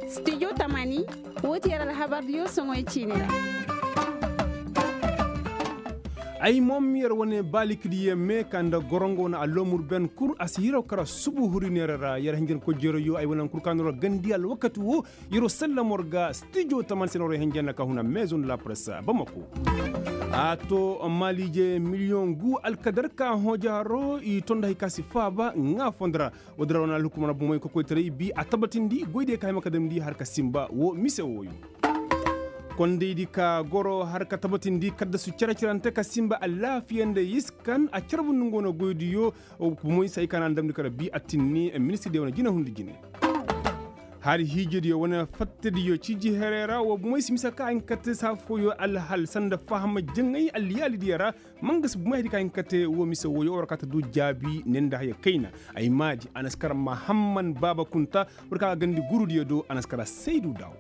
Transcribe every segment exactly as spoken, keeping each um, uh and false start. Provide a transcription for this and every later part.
Studio tamani, woo ti yer alhabardiyo soŋoy ciini ra. Ay moom yer wane baalikidiyo mee ka nda gorongo wane alloomur ben kul a si hiraw kara subu huri neera ra yer hinjankoy jeroyo ay wane kur ka noo ra gandi alwakati woo. Yeroo sallam war ga stijo taman se na war ga hinja nda ka huna meezo nda la press bamako. A to maaliije miliyoŋ gu alkadar ka hooja haro i to nda hay ka si faaba ŋaa fondo ra. Woodi ra wane alhukumar bomey kokoytaray bi a tabatindi goydiyo ka hay ma ka damndi har ka sinba woo mise wooyo. Kondaydi ka goro har ka tabatindi kaddasu cere-cerante ka sinba alaafiya nda iskan a carbundi nga wane goydiyo. Bomey se hay ka na a damndi kala bi a tinni ministirdiyo wane jinahundi jine. Hari hiijediyo wane fattadiyo ciiji herey ra woo bomey si mise ka a hin ka te saa fooyo alhal sanda faham jaŋay alliyaalidiyo ra. Mangasi bomey hari ka hin ka te woo mise wooyo war ka ta du jaabi ne nda haya kayna. Ay maadi a na si kar mahamman baaba kunta. War ka gandi gurudiyo do a na si kar saydu daaw.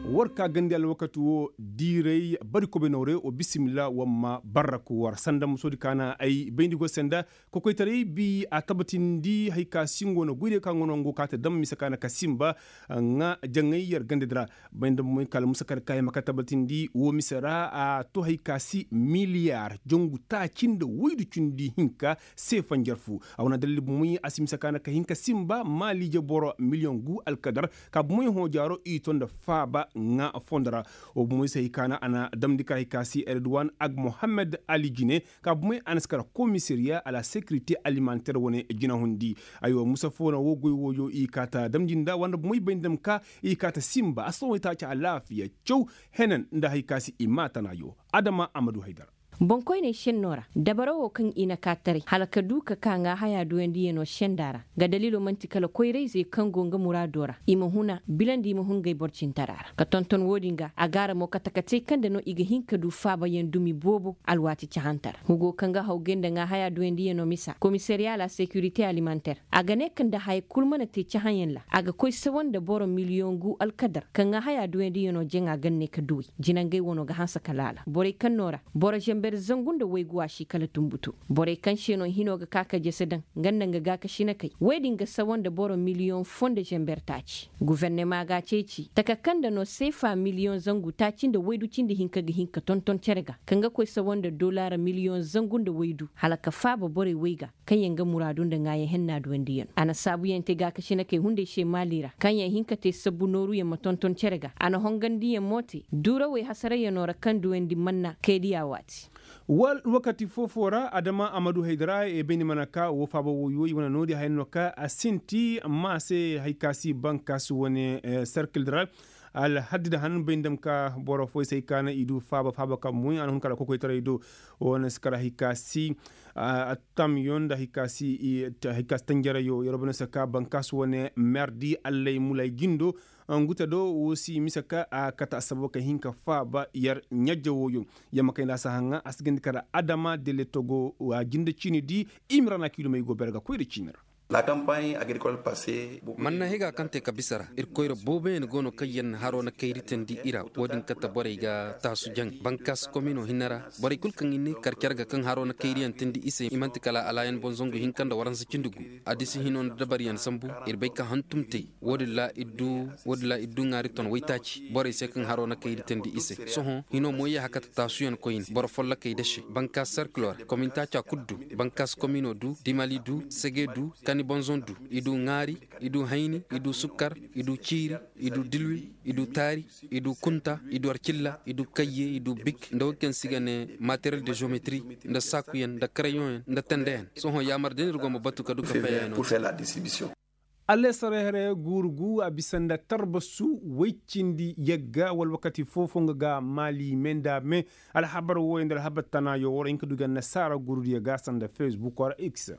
War ka gandi alwakati woo diiray bari kobe noorey woo bisimilla war ma barraku war sanda musoodi ka na ay bayndi go se nda. Kokoytaray bi a tabatindi hay ka si ngo na goydiyo ka ngo no ngo ka te dam mise ka na ka sinba. Ŋaa jaŋay yer gandadi ra. Bay nda bomey kala musa kar ka ay ma ka tabatindi woo mise ra a to hay ka si miliyar jangu taaci nda woydu cindi hinka. Se fanjar fu a wane dalil bomey a si mise ka na ka hin ka sinba maaliije boro miliyoŋ gu alkadar. Ka bomey hoojaaro i to nda faaba ŋaa fondo ra. Woo bomey se hay ka na a na damndi kar hay ka si erduwan ag mohammed ali jine. Ka bomey a na si kar komisariya a la sekirite alimanter wane jinahundi. Aywa musa foo na woo goy wooyo i kaa ta damndi nda war nda bomey bay nda ma ka i kaa ta sinba a si ta way taaci alaafiya caw. Henan nda hay ka si i maa tanaayo. Adama a ma du haydara. Boŋkoyney šennoo ra dabara woo kaŋ i na kaa taray hala ka du ka kaa ŋaahayaa duyandiyanoo šendaa ra. Nga daliiloo man'ti kala koyra-izey kaŋ go nga muraadoo ra i ma huna bila nda i ma hun ngey boro cintaraa ra ka tonton woo-din ga a gaara mo kate-katey kaŋ nda no i ga hin ka du faabayaŋ dumi boobo alwaati cahante ra hugo kaŋ ga hawgay nda ŋaahayaa duyandiyanoo misa komisariya la sekirite alimanter. A ga ne ka nda haya kul mana te cahãyaŋ ra a ga koy sawa nda boro miliyoŋ gu alkadar ka ŋaahayaa duyandiyanoo jaŋa ganney ka duw'ey. Jinangey wanoo ga hanse ka laala borey kaŋ noo ra boro zamber zangu nda waygu a si kala tunbutu. Borey kaŋ se no hinoo ga ka ka jese daŋ nga nda nga gaakasinakey wey din ga sawa nda boro miliyoŋ foo nda zamber taaci. Gufernema ga a ceeci taka kaŋ nda no seefa miliyoŋ zangu taaci nda waydu cindi hinka ga hin ka tonton cere ga kaŋ ga koy sawa nda dolaara miliyoŋ zangu nda waydu hala ka faaba borey wey ga kaŋyaŋ ga muraadu nda ŋaayaŋ henna duwandiyaŋ a na saabuyaŋ te gaakasinakey hunday se maali ra kaŋyaŋ hin ka te sabbu nooruyaŋ ma tonton cere ga a na hongandiyaŋ mo te duurawey hasarayanoo ra kaŋ duwandi manna kaydiya waati. Wal wakati foo-foo ra adama a ma du haydara e bayndi mana ka woo faaba wooyo i wane noodi haya no ka a sinti amma a se hay ka si bankaasi wane serkil ra. Alhaddi da han bay nda ma ka boro fooyey se ay ka na i du faaba faaba ka moy a na hun kala kokoytaray do. Woo na si kala hay ka si attamyo nda hay ka si tanjarayo yeroo bay no se ka bankaasi wane merdi allay mulay jindo. Ngu te do woo si mise ka a kate assababo ka hin ka faaba yer ɲajja wooyo. Yer ma kay nda a si haŋa a si gandi kala adama dele togo a jinde ciini di. Imira na kiilumey go bere ga koy nda ciini ra. Manna higa kaŋ te ka bisa ra ir koyra booboyaŋ go no kaŋ yer na haro na kayri teendi i ra. Wo-din kate borey ga taasu jaŋ bankaas komino hinne ra. Borey kul kaŋ i ne kar care ga kaŋ haro na kayriyaŋ teendi i se i man'ti kala alaayan boŋ zangu hinka nda waransa cindi gu. Adisi hino nda dabaryaŋ sambu. Ir bay ka hantum te wo-din ra ir du ŋaari ton waytaaci borey se kaŋ haro na kayri teendi i se. Sohõ hino mo yee hakata taasuyaŋ koyne boro follokey dase bankaas serkilo ra komin taaca kul du. Bankaas komino du dimali du sege du kani bonzon du. I du ŋaari, i du hayni, i du sukkar, i du ciiri, i du dilwi, i du taari, i du kunta, i du arcilla, i du kayye, i du bik nda wo kaŋ se i ga ne materiel de geometri, nda saakuyaŋ nda karayoŋyaŋ nda tendeyaŋ. Sohõ yaamar da no ir go ma batu ka du ka payey no. Alesarehre guuru gu a bisa nda tarbasu woy cindi yagga wala wakati foo-foo nga ga maali me nda me. Alhabar wooyo nda alhabar tanaayo war hin ka du ga nasaara guurudiyo ga sanda fesbuk wala x.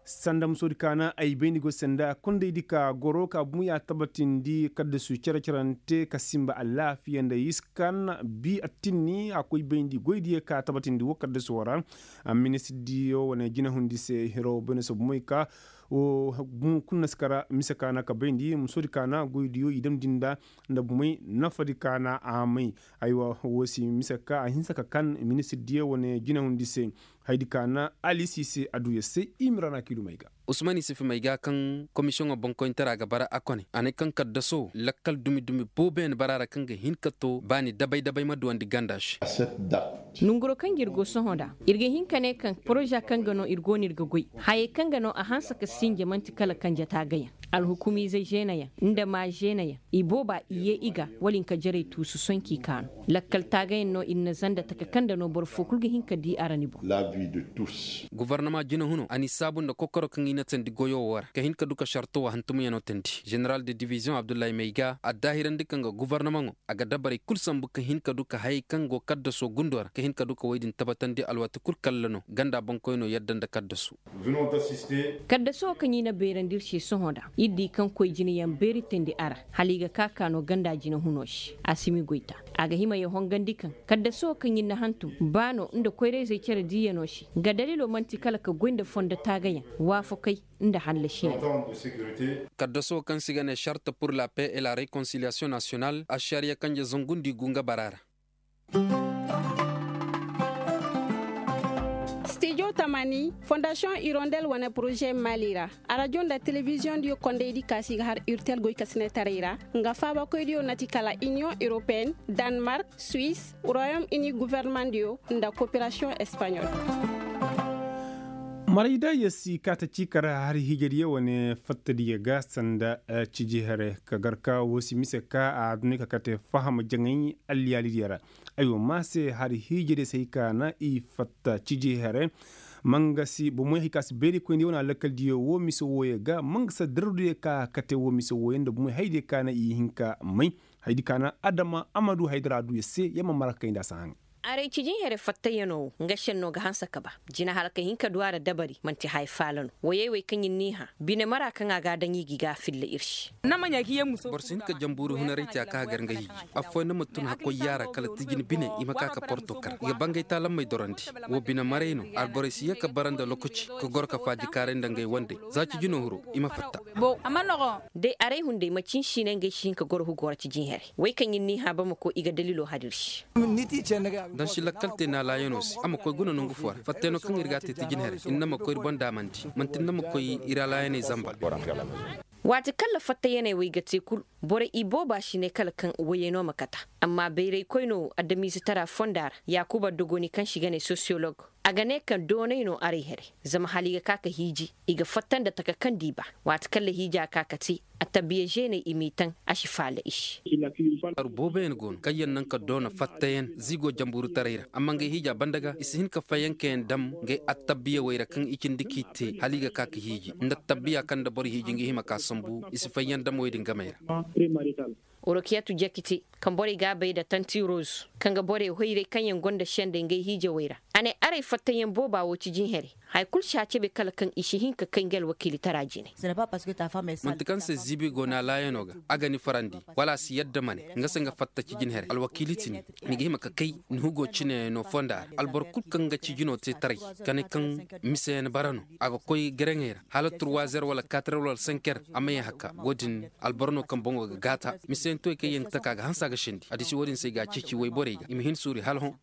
Sanda musoodi ka na ay bayndi go sanda kondaydi ka goro ka bumu ya tabatindi kaddasu cere-cerante ka sinba alaafiya nda iskan bi attinni a koy bayndi goydiyo ka tabatindi wo kaddasu wara. Ministirdiyo wane jinahundi se hiro bayno se bumoy ka wo bumu kul na si kara mise ka na ka bayndi musoodi ka na goydiyo i damndi nda nda bumoy nafadi ka na a may. Aywa wo si mise ka a hinsa ka kan ministirdiyo wane jinahundi se. Haydi ka na alisi se adduya se imrana kiilu may ga. Usman isifi may ga kaŋ komisiyoŋo boŋkoyintara ga bara a kone a ne kaŋ kaddaso lakkal dumi dumi booboyaŋ bara ra kaŋ ga hin ka to baani dabay dabay ma duwandi ganda se. Nonguro kaŋ ga ir go sohõ nd'a, ir ga hin ka ne kaŋ poroza kaŋ ga no ir go no ir ga goy, hayey kaŋ ga no a hanse ka sinja man'ti kala kanje taagayaŋ, alhukumiizey žeenayaŋ, nda maa žeenayaŋ, i booba i yee i ga wala hinka jarey tuusu sohõ k'i kaanu. Lakkal taagayaŋ no ir na zanda taka kaŋ nda no boro foo kul ga hin ka dii a ra ni boŋ. Gufornama jinahuno a n'i saabu nda kokoro kaŋ i na teendi goyo woo ra ka hin ka du ka sarto woo hantumyaŋo teendi. Ženeral de diviziyoŋ abdullahi may ga addaahirandi kaŋ ga gufornamaŋo a ga dabarey kul sambu ka hin ka du ka hayey kaŋ go kaddaso gundo ra ka hin ka du ka woy din tabatandi alwaati kul kalla no ganda boŋkoyno yadda nda kaddaso. Kaddaso kaŋ i na beerandi ir se sohõ nda ir di kaŋ koy jinayaŋ beeri teendi a ra, hala i ga ka ka no ganda jinahuno se a si mi goyta. A ga hima ya hongandi kaŋ kaddaso kaŋ ir na hantum ba no nda koyrayzey cere diiyano se, nga dalilo man'ti kala ka goy nda fondo taagayaŋ, waafakey, nda hallasiyaŋ. Kaddaso kaŋ se i ga ne sarte pur la paix et la réconciliation national ašariya kanje zangundi gu nga bara ra. Stijo tamani fondasiyoŋ irondel wane poroze mali ra, arajo nda telebiziyoŋ diyo kondey di ka se i ga har urtel goykasinetaray ra, nga faabakoy diyo na ti kala iniyoŋ europeyenne, danmark, suisse, royaume uni guvernement diyo, nda koperasiyoŋ espaɲol. Marayda ya si kaata ciika ra hari hiijadiyo wane fattadiyo ga sanda ciji here ka gar ka wo si mise ka a duni ka kate faham jaŋay alliyaalidiyo ra. Aywa ma se hari hiijadiyo se hay ka na i fatta ciji here. Mangasi bomoy hay ka si beeri koyndi wane alakaldiyo wo mise wooyo ga mangasa darduyo ka kate wo mise wooyo nda bomoy haydiyo ka na i hin ka may. Haydi ka na adama amadu haydara duyo se ya ma mara ka kayndi a si haŋ. Aray cijin here fattayanoo wo nga šennoo ga hanse ka ba jina hala ka hin ka du a ra dabari man'ti haya faala no woyey wey kaŋ ir n'i hã bine mara kaŋ a ga a daŋ i ga i ga a filla ir se. Boro si hin ka janbuuru hunaray te a ka hagar nga hiiji. Affooyaŋ na ma tun hakkoy yaara kala tijin bine i ma ka ka porto kar i ga bangay taalammey dorandi. Wo bine maray no alborey si yee ka bara nda lokaci ka goro ka faajikaaray nda ngay wandey za cijinoo hiro i ma fatta. Day aray hunday macin siinay ngey si hin ka goro hugo ra cijin here. Wey kaŋ ir n'i hã bamako i ga daliloo har ir se. Nda si lakkal te naalaayanoo se a ma koy guna nongu foo ra fattayno kaŋ ir ga a te tijin here ir na ma koy ir boŋ daamandi man'ti ir na ma koy ir alaayaney zamba. Waati kaŋ ra fattayaney wey ga te kul borey i booba si ne kala kaŋ woyey no ma kata. Amma bayraykoynoo adamiizetaraa fonda ra yaakuba dogoni kaŋ se i ga ne sosiyolog a ga ne kaŋ doonay no aray here. Zama hala i ga ka ka hiiji i ga fatta nda taka kaŋ d'i ba. Waati kaŋ ra hiija ka ka te attabiya zeeney i m'i taŋ a si faala i se. Aru booboyaŋ go no kaŋyaŋ naŋ ka doona fattayaŋ ziigoo janburutaray ra amma ngey hiija banda ga i si hin ka fayyankayaŋ dam ngey attabiyawey ra kaŋ i cindi k'i te hala i ga ka ka hiiji nda attabbiya kaŋ nda boro hiiji nga hima ka sambu i si fayyaŋ dam wey din gamey ra. Orokiyatu jakiti kaŋ borey ga a bay nda tanti roz kaŋ ga borey hoyray kaŋyaŋ gonda sendey ngey hiijawey ra. A ne aray fattayaŋ booba wo cijin here. Haya kul si a cebe kala kaŋ i si hin ka kay nga alwakiilitara jine. Manti kaŋ se ziibi go na laayano ga a ga ni farandi wala a si yadda ma ne nga se nga fatta cijin here alwakiili ti ni. Ni ga hima ka kay ni hugo cine no fonda ra alboro kul kaŋ ga cijino te taray ka ne kaŋ miseyaŋ bara no a ga koy gereŋey ra hala turwazer wala katerer wala senker a ma ye haka wo-din. Alboro no kaŋ boŋo ga gaata miseyaŋ toy kaŋ yaŋ ga taka a ga hanse a ga sendi addiši wo-din se i ga a ceeci wayborey ga i ma hin suuri hala hõ.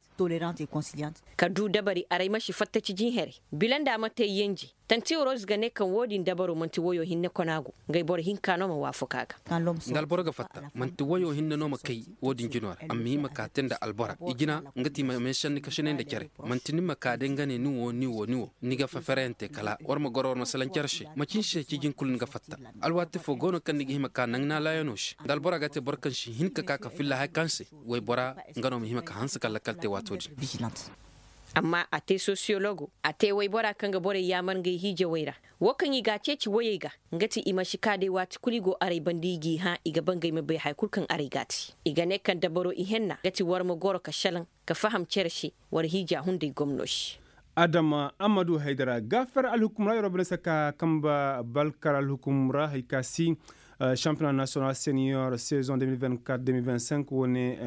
Ka du dabari aray ma si fatta cijin here. Bila nda a ma te yenje tanti roz ga ne kaŋ wo-din dabaro manti woyo hinne kona go. Ngey boro hinka no ma waafaku a ga. Nda alboro ga fatta manti woyo hinne no ma kay wo-din jino ra a ma hima ka te nda albora i jina. Nga ti i ma meesanni kasinay nda care manti ni ma ka day nga ne ni wo ni wo ni wo ni ga fefereyaŋ te kala war ma goro war ma salaŋ care se macin se cijin kulu ni ga fatta. Alwaati fo go no kaŋ ni ga hima ka naŋ naalaayano se nda albora ga te boro kaŋ si hin ka ka ka filla haya kaŋ se waybora nga no ma hima ka hanse ka lakkal te waato din. Amma a te sosiyologo a te waybora kaŋ ga borey yaamar ngey hiijawey ra. Wo kaŋ i ga a ceeci woyey ga nga ti i ma si ka day waati kulu i go aray banda i g'i hã i ga ba ngey ma bay haya kulu kaŋ aray g'a te. I ga ne kaŋ dabaro ihenna nga ti war ma goro ka salaŋ ka faham cere se war hiija hunday gomno se. Adama amadu haydara gaafar alhukum ra yeroo bane se ka kamba balkar alhukum ra hay ka si. Championnat national senior saison deux mille vingt-quatre deux mille vingt-cinq wane.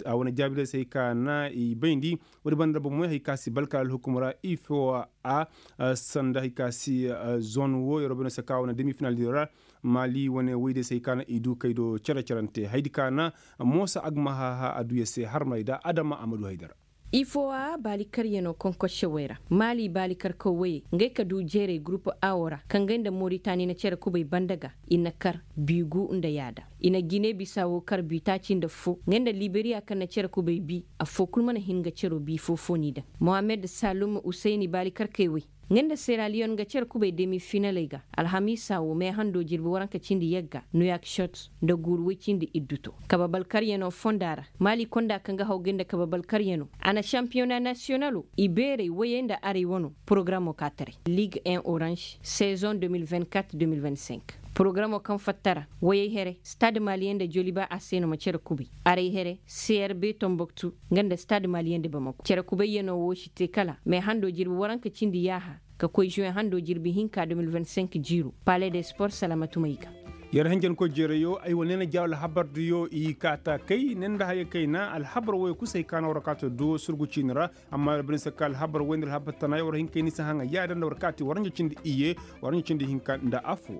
Wane jaabiray se hay ka na i bayndi. Woodi banda bomoy hay ka si balkar alhukum ra ifo a sanda hay ka si zone wo yeroo bane se ka wane demi final di ra. Mali wane woyde se hay ka na i du kay do cere cerante haydi ka na moosa agmahaha aduya se harmay da adama amadu haydara. Ifo a baali karyanoo konkosse wey ra maali baali karkaw woyey ngey ka duu jeeray gurupu a wo ra kaŋ ngey nda moritani na cere kubay banda ga. I na kar biigu nda yaada i na gine bisa wo kar biitaaci nda foo ngey nda liberiya kaŋ na cere kubay bii. Affoo kul mana hin ga ceroo bii foo foo n'i daŋ. Mohammed salum usayni baali karkey woy ngey nda seraliyon nga cere kubay demi finaley ga. Alhamiisa wo meehandoo jirbi waranka cindi yagga nuyak shot nda guuru woy cindi iddu to. Kabe balkaryanoo fonda ra maali konda kaŋ ga hawgay nda kabe balkaryanoo a na sampiyona nasiyonaloo ibeerey woyey nda aray wanoo. Porogaramoo ka taray liig en oranž sezoŋ de mil vingt-quatre de mil vingt-cinq. Porogaramoo kaŋ fatta ra woyey here stad maliyen nda joliba a se no ma cere kubay aray here crb tomboktu nga nda stad maliyen nda bamako cere kubayyanoo woo si te kala meehandoo jirbi waranka cindi yaaha ka koy žuwen handoo jirbi hinka de mil vingt-cinq jiiroo. Pale de sport salamatumey ga. Yer hanjankoy jeerayoo ay wane na jaaw alhabardiyo i kaata kay ne nda haya kayna alhabar woyoo kul se ay kaana war kaata duwo surgu ciini ra. Amma yer bine se ka alhabar woy nda alhabar tanaayoo war hin kay ni se haŋa yaada nda war kaati war ɲa cindi iyye war ɲa cindi hinka nda affoo.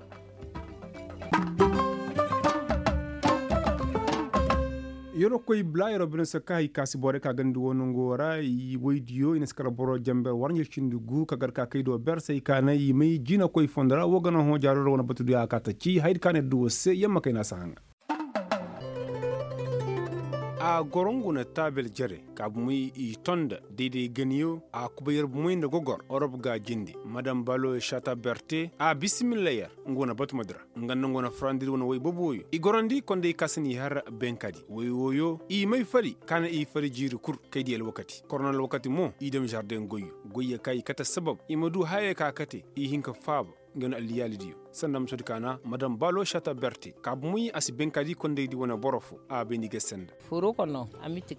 Yeroo koy bla yeroo bine se ka hay ka si borey ka gandi woo nangoo ra. Woydiyo i na si kar boro janber war ɲa cindi gu ka gar ka kay do ber se ay kaana i may jinakoy fondo ra woo gana hõ jaaroo ra wane batudiyo a kaata ci hayadi ka na yer du woo se yamma kay na a si haŋa. A goro ngu na taabel jere ka bumey i ton nda dayday ganiyo a kubay yer bumey nda gogor orop ga jinde madam balo shata berte a bisimilla yer. Ngu wane batumadi ra nga nda ngu wane farandidi wane woy boboyo i gorandi konday ka si n'i har benkadi woy wooyo i may fari ka na i fari jiiri kul kay di alwakati korona alwakati mo i dam žarden goyyo goyyo ka i kate sabab i ma du hayey ka kate i hin ka faaba. Nga no alliyaalidiyo sanda musodi kaana madam balo shata berte ka bumey a si benkadi kondaydi wane boro fo a bayndi ga senda.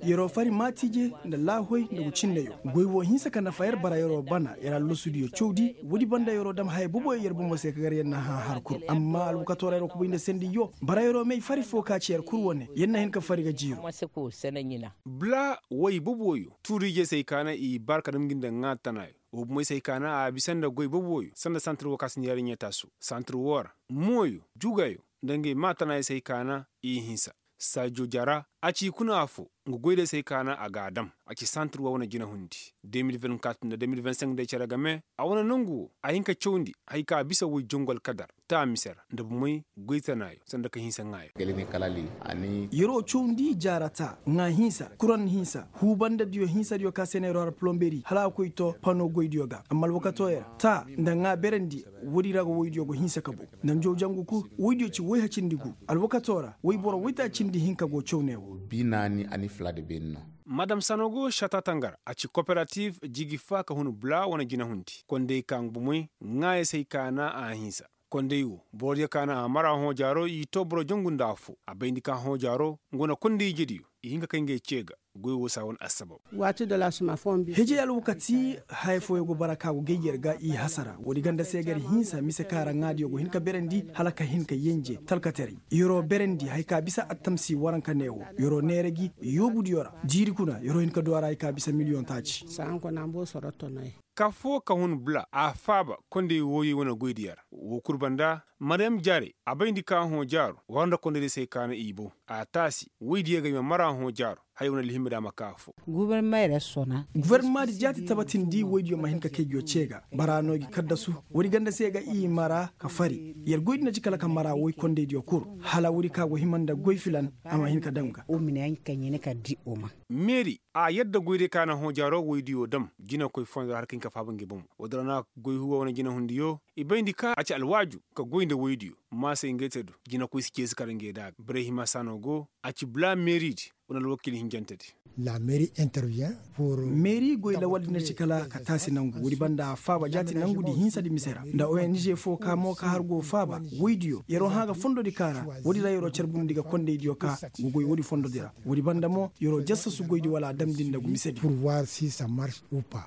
Yeroo fari maatiije nda laahoy nda gucindayoo goy woo hinsa ka nafa yer bara yeroo bana yer allasudiyo cawdi woodi banda yeroo dam haya boboyo yer bomo se ka gar yer na hã har kul amma alwakatoo ra yeroo kubay nda sendiyoo bara yeroo may fari foo ka ci yer kul wane yer na hin ka fari ga jiiroo. Bla woy boboyo tuuriije se ay kaana i bar ka dam ngi nda ŋaa tanayo woo bumey se ay kaana a bisa nda goy boboyo sanda santir woo ka si nda yariɲa taasu santir woo ra mooyo jugayo nda ngey maa tanayo se ay kaana i hinsa saajo jara a ci i kuna affoo nga goydiyo se ay kaana a g'a dam a ci santir woo wane jinahundi de mil vingt-quatre nda de mil vingt-cinq day cere game a wane nongu woo a hin ka cawndi haya ka bisa woy jongu alkadar taa mise ra nda bumey goy tanaayo sanda ka hinsa ŋaayo. Yeroo cawndi jaara taa ŋaa hinsa kuran hinsa huu bandadiyo hinsadiyo ka se neeroo har polomberi hala a koy too pano goydiyo ga amma alwakatoo yer taa nda ŋaa berandi woodi ra ga woydiyo go hinsa ka bow nda njaw jangu kul woydiyo ci woy hacindi gu alwakatoo ra woy boro woytaacindi hinka go caw ne woo. Madam sanogo sata tangara a ci kooperatif jigi fa ka hun bula wane jinahundi konday ka nga bumey ŋaayey se ay kaana a hinsa konday woo borodiyo kaana a mara hõ jaaroo i too boro jangu nda affoo a bayndi ka hõ jaaroo nga wane konday ijediyo i hin ka kay ngey cee ga goy woo saa wane assabab. Hijay alwakati haya fooyo go bara ka go gay yer ga i hasara woodi ganda se gar hinsa mise ka ra ŋaadiyo go hin ka berandi hala ka hin ka yenje talkataray yeroo berandi haya ka bisa attamsi waranka ne woo yeroo neera gi yoobudiyo ra jiiri kuna yeroo hin ka du a ra haya ka bisa miliyoŋ taaci. Ka foo ka hun bula a faaba konday wooyey wane goydiyo ra woo kul banda mariyam jaarey a bayndi ka hõ jaaro war nda kondaydiyo se ay kaana i boŋ a taasi woydiyo ga i ma mara hõ jaaro haya wane alhimma da a ma ka affoo. Gofornamaadi jaati tabatindi woydiyo ma hin ka kay nguyo cee ga bara no i ga kaddasu woodi ganda se ga i mara ka fari yer goydi na ci kala ka mara woy kondaydiyo kul hala woodi ka go hima nda goy filan a ma hin ka daŋ ga. Meeri a yadda goydiyo ka na hõ jaaro woydiyo dam jinakoy fondo ra har ka hin ka faaba ngi bomo woodi ra na goy huwa wane jinahundiyo i bayndi ka a ci alwaaju ka goy nda woydiyo maasay ngey te du jinakoy si ceesi kar ngey da a ga birey hima saano go a ci bula meeridi wane alwakiil hinjantedi. Meeri goy lawaldi na ci kala ka taasi nangu woodi banda a faaba jaati nangudi hinsadi mise ra nda ong foo ka mo ka har go faaba woydiyo yer'o hã ga fondodi ka ra woodi ra yer'o carbundi ga kondaydiyo ka go goy woodi fondodi ra woodi banda mo yer'o jassasu goydi wala a damndi nda gu misedi.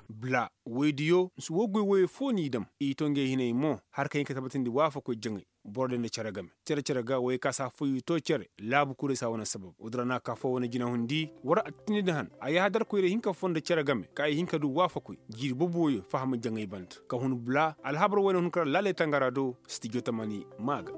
Bula woydiyo nsi woo goy woyey foo n'i dam i to ngey hinay mo har ka hin ka tabatindi waafakoy jaŋay boro day nda cere game cere cere ga woyey ka si affoo i to cere laabu kurey si a wane sabab woodi ra na ka foo wane jinahundi war a tindi nda han a yaahadarkoy ra i hin ka foo nda cere game ka i hin ka du waafakoy jiiri boboyo faham jaŋay banda ka hun bula alhabar woy na hun ka ra laaley tangara do stijo tamani maa ga.